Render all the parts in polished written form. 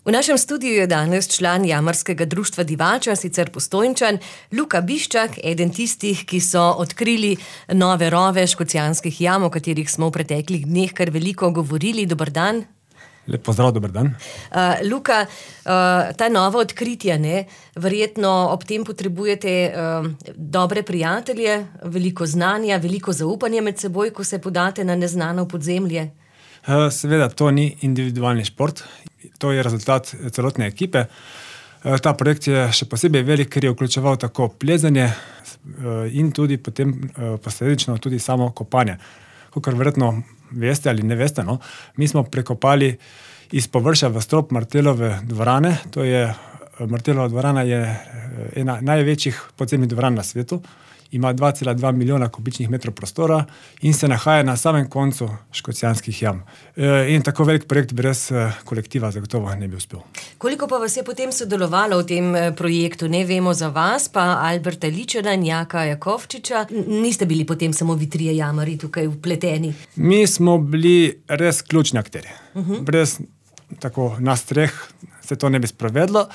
V našem studiu je danes član jamarskega društva Divača, sicer Postojnčan, Luka Biščak, eden tistih, ki so odkrili nove rove Škocjanskih jam, o katerih smo v preteklih dneh kar veliko govorili. Dober dan. Lep pozdrav, dober dan. Luka, ta nova odkritja, verjetno ob tem potrebujete dobre prijatelje, veliko znanja, veliko zaupanja med seboj, ko se podate na neznano podzemlje. Seveda, to ni individualni šport, to je rezultat celotne ekipe. Ta projekt je še posebej velik, ker je vključeval tako plezanje in tudi potem posledično tudi samo kopanje. Kakor verjetno veste ali ne veste, mi smo prekopali iz površja v strop Martelove dvorane. Martelova dvorana je ena največjih podzemnih dvoran na svetu. Ima 2,2 milijona kubičnih metrov prostora in se nahaja na samem koncu Škocjanskih jam. In tako velik projekt brez kolektiva zagotovo ne bi uspel. Koliko pa vas je potem sodelovalo v tem projektu? Ne vemo za vas, pa Alberta Ličena in Jaka Jakovčiča. Niste bili potem samo vi trije jamarji tukaj vpleteni? Mi smo bili res ključni akterji. Brez tako nas treh se to ne bi sprovedlo.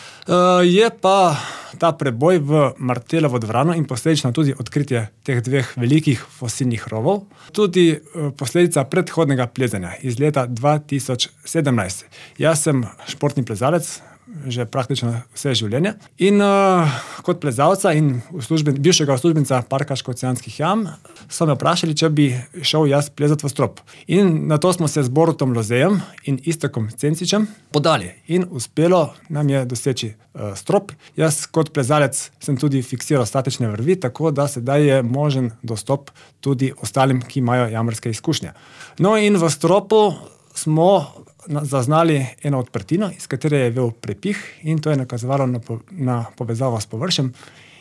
Je pa ta preboj v Martelovo dvorano in posledično tudi odkritje teh dveh velikih fosilnih rovov tudi posledica predhodnega plezanja iz leta 2017. Jaz sem športni plezalec že praktično vse življenje in kot plezalca in bivšega uslužbenca Parka Škocjanskih jam so me vprašali, če bi šel jaz plezati v strop. In na to smo se z Borutom Lozejem in Iztokom Cencičem podali in uspelo nam je doseči strop. Jaz kot plezalec sem tudi fiksiral statične vrvi, tako da sedaj je možen dostop tudi ostalim, ki imajo jamarske izkušnje. No in v stropu smo zaznali eno odprtino, iz katere je vel prepih in to je nakazovalo na povezavo s površjem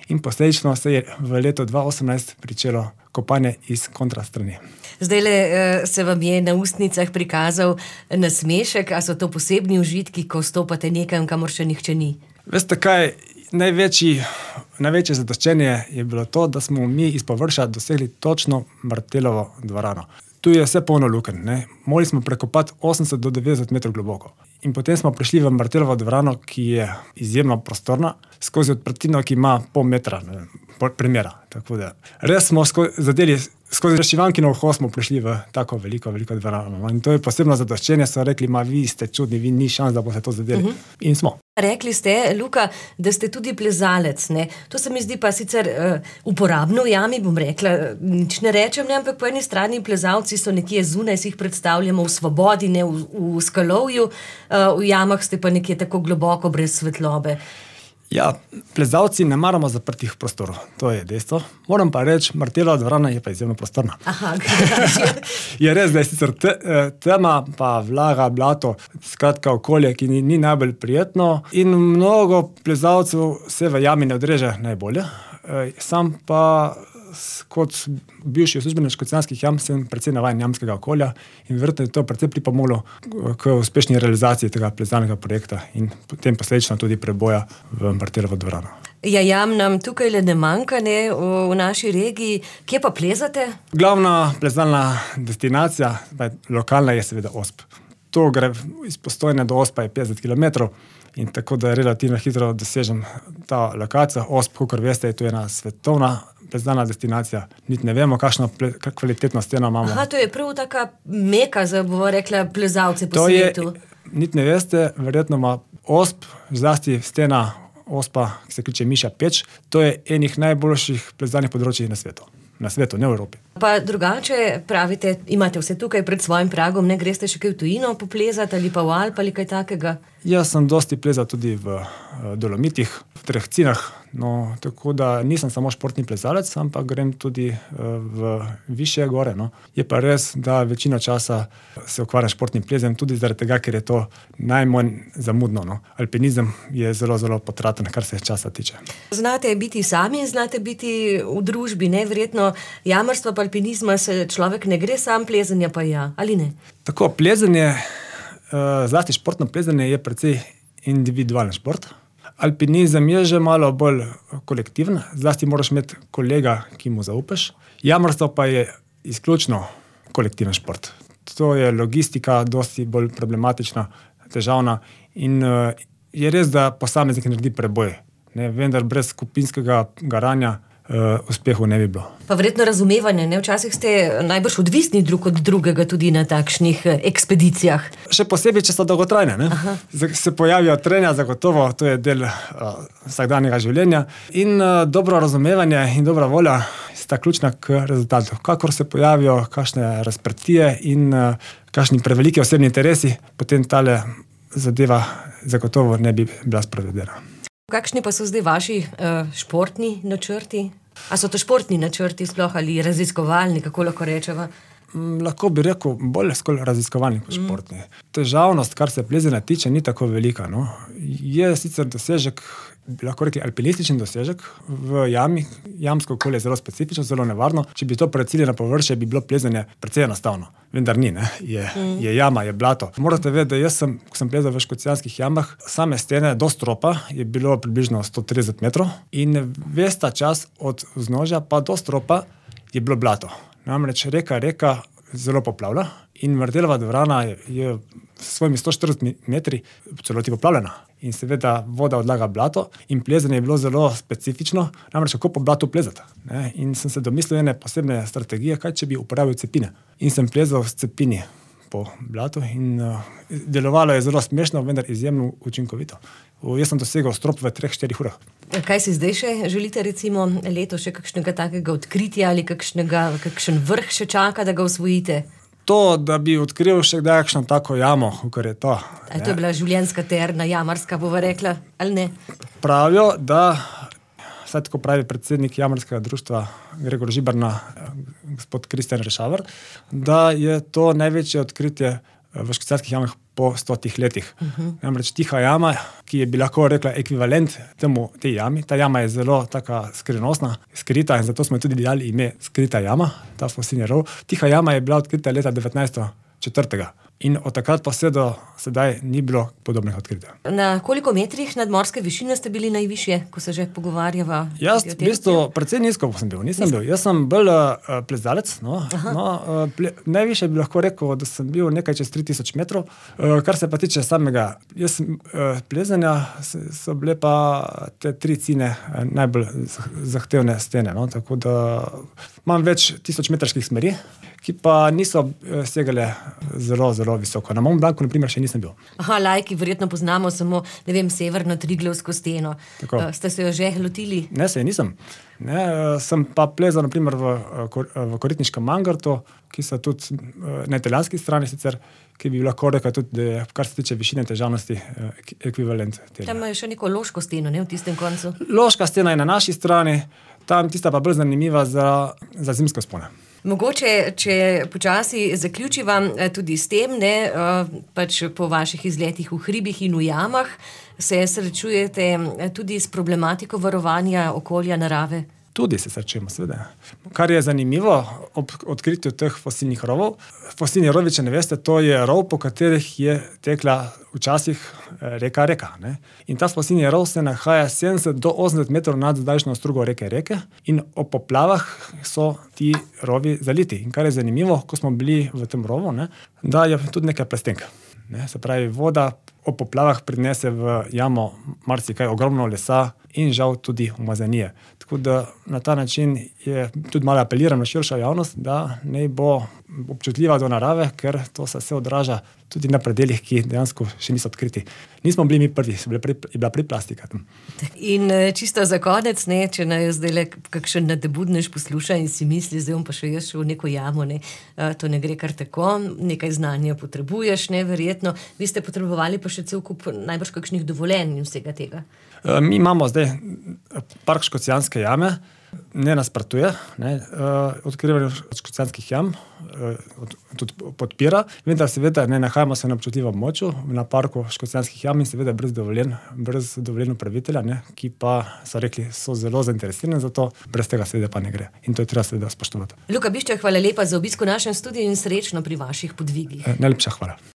in posledično se je v letu 2018 pričelo kopanje iz kontrastrani. Zdajle se vam je na ustnicah prikazal nasmešek, a so to posebni užitki, ko stopate nekam, kamor še nihče ni? Veste kaj, največje zadoščenje je bilo to, da smo mi iz površja dosegli točno Martelovo dvorano. Tu je vse polno lukenj. Morali smo prekopati 80 do 90 metrov globoko. In potem smo prišli v Martelovo dvorano, ki je izjemno prostorna, skozi odprtino, ki ima pol metra premera. Tako da res smo skozi razšivankino uho smo prišli v tako veliko dvorano. In to je posebno zadoščenje, so rekli, vi ste čudni, vi ni šans, da boste to zadeli. In smo. Rekli ste, Luka, da ste tudi plezalec. To se mi zdi pa sicer uporabno v jami, bom rekla. Nič ne rečem, ampak po eni strani plezalci so nekje zunaj, si jih predstavljamo v svobodi, v skalovju, v jamah ste pa nekje tako globoko, brez svetlobe. Ja, plezalci ne maramo zaprtih prostorov, to je dejstvo. Moram pa reči, Martelova dvorana je pa izjemno prostorna. Aha, je res, da je sicer tema, pa vlaga, blato, skratka okolje, ki ni najbolj prijetno in mnogo plezalcev se v jami ne odreže najbolje. Sam pa kot bivši uslužbenec Škocjanskih jam sem precej navajen jamskega okolja in verjetno je to precej pripomoglo k uspešni realizaciji tega plezalnega projekta in potem posledično tudi preboja v Martelovo dvorano. Ja, jam nam tukaj le ne manjka, v naši regiji. Kje pa plezate? Glavna plezalna destinacija, lokalna, je seveda Osp. To gre iz Postojne do Ospa je 50 kilometrov in tako da relativno hitro dosežem ta lokacija. Osp, kakor veste, je to ena svetovna plezalna destinacija. Niti ne vemo, kakšno kvalitetno steno imamo. Aha, to je prav taka meka za, bomo rekla, plezalce po svetu. Niti ne veste, verjetno ima Osp, zlasti stena Ospa, ki se kliče Miša Peč, to je enih najboljših plezalnih področij na svetu. Na svetu, ne v Evropi. Pa drugače pravite, imate vse tukaj pred svojim pragom, ne greste še kaj v tujino poplezati ali pa v Alp ali kaj takega? Jaz sem dosti plezal tudi v Dolomitih, v Trehcinah, tako da nisem samo športni plezalec, ampak grem tudi v višje gore. Je pa res, da večino časa se ukvarjam športnim plezanjem tudi zaradi tega, ker je to najmanj zamudno. Alpinizem je zelo, zelo potraten, kar se časa tiče. Znate biti sami in znate biti v družbi, verjetno jamarstva pa alpinizma se človek ne gre sam, plezanja pa ja, ali ne? Tako, plezanje, zlasti športno plezanje je precej individualen šport. Alpinizem je že malo bolj kolektiven, zlasti moraš imeti kolega, ki mu zaupaš. Jamarstvo pa je izključno kolektiven šport. To je logistika dosti bolj problematična, težavna in je res, da posameznik naredi preboj, ne, vendar brez skupinskega garanja uspehu ne bi bilo. Pa verjetno razumevanje, ne? Včasih ste najbrž odvisni drug od drugega tudi na takšnih ekspedicijah. Še posebej, če so dolgotrajne, ne? Se pojavijo trenja, zagotovo, to je del vsakdanjega življenja in dobro razumevanje in dobra volja sta ključna k rezultatu. Kakor se pojavijo kakšne razprtije in kakšni preveliki osebni interesi, potem tale zadeva zagotovo ne bi bila sprovedena. Kakšni pa so zdaj vaši športni načrti? A so to športni načrti sploh ali raziskovalni, kako lahko rečeva? Lahko bi rekel, bolj skolj raziskovalni kot športni. Težavnost, kar se plezanja tiče, ni tako velika. No. Je sicer dosežek, bi lahko rekli alpinističen dosežek v jami. Jamsko okolje je zelo specifično, zelo nevarno. Če bi to precili na površje, bi bilo plezanje precej enostavno. Vendar ni, ne. Je jama, je blato. Morate vedeti, da jaz ko sem plezal v Škocjanskih jamah, same stene do stropa je bilo približno 130 metrov in ves ta čas od vznožja pa do stropa je bilo blato. Namreč reka zelo poplavlja in Martelova dvorana je s svojimi 140 metri celoti poplavljena. In seveda voda odlaga blato in plezanje je bilo zelo specifično, namreč kako po blatu plezati. Ne? In sem se domislil ene posebne strategije, kaj če bi uporabil cepine. In sem plezal s cepini po blatu in delovalo je zelo smešno, vendar izjemno učinkovito. Jaz sem dosegel strop v 3-4 urah. Kaj si zdaj še želite recimo leto še kakšnega takega odkritja ali kakšen vrh še čaka, da ga osvojite? To, da bi odkril še kdaj kakšno tako jamo, kar je to. A to je bila življenjska terna, jamarska, bova rekla, ali ne? Pravijo, da, vsaj tako pravi predsednik jamarskega društva Gregor Žiberna, gospod Kristjan Rešavar, da je to največje odkritje v Škocjanskih jamah po 100 letih. Namreč tiha jama, ki je bi lahko rekla ekvivalent tej jami. Ta jama je zelo taka skrivnostna, skrita in zato smo tudi dali ime Skrita jama, ta fosilni rov. Tiha jama je bila odkrita leta 1904. In od takrat pa vse do sedaj ni bilo podobnih odkritij. Na koliko metrih nadmorske višine ste bili najvišje, ko se že pogovarjava? Jaz v bistvu precej nizko sem bil, nisem bil. Jaz sem bolj plezalec, najvišje bi lahko rekel, da sem bil nekaj čez 3000 metrov. Kar se pa tiče samega plezanja, so bile pa te 3 cine najbolj zahtevne stene. No? Tako da imam več 1000-metrskih smeri, ki pa niso segale zelo, zelo visoko. Na Mont Blancu, na primer, še nisem bil. Lajki verjetno poznamo samo, ne vem, severno Triglavsko steno. Ste se jo že lotili? Ne, se je nisem. Ne, sem pa plezal, na primer, v Koritniškem Mangartu, ki so tudi na italijanski strani sicer, ki bi lahko rekel tudi, da je, kar se tiče višine težavnosti, ekvivalent tega. Tam je še neko loško steno, ne, v tistem koncu? Loška stena je na naši strani, tam tista pa bolj zanimiva za zimske vzpone. Mogoče, če počasi zaključiva tudi s tem, ne, pač po vaših izletih v hribih in v jamah, se srečujete tudi s problematiko varovanja okolja, narave? Tudi se srečujemo, seveda. Kar je zanimivo ob odkritju teh fosilnih rovov, fosilni rovi, če ne veste, to je rov, po katerih je tekla včasih reka. Ne? In ta fosilni rov se nahaja 70 do 80 metrov nad zdajšnjo strugo reke in ob poplavah so ti rovi zaliti. In kar je zanimivo, ko smo bili v tem rovu, ne, da je tudi nekaj plastenk. Ne? Se pravi, voda ob poplavah prinese v jamo marsikaj, ogromno lesa in žal tudi umazanije. Tako da na ta način je tudi malo apeliram na širšo javnost, da ne bo občutljiva do narave, ker to se vse odraža tudi na predelih, ki dejansko še niso odkriti. Nismo bili mi prvi, je bila plastika tam. In čisto za konec, ne, če naj zdaj kakšen nadebudnež posluša in si misli, zdaj bom pa še jaz šel v neko jamo, ne, to ne gre kar tako, nekaj znanja potrebuješ, ne, verjetno. Vi ste potrebovali pa še cel kup najbrž kakšnih dovoljenj in vsega tega. Mi imamo zdaj park Škocjanske jame, ne nasprotuje, odkrivanje Škocjanskih jam tudi podpira, vendar seveda ne nahajamo se na občutljivem območju na parku Škocjanskih jam in seveda brez dovoljenja upravitelja, ki pa so rekli, so zelo zainteresirani za to, brez tega seveda pa ne gre. In to je treba seveda spoštovati. Luka Bišček, hvala lepa za obisk v našem studiu in srečno pri vaših podvigih. Najlepša hvala.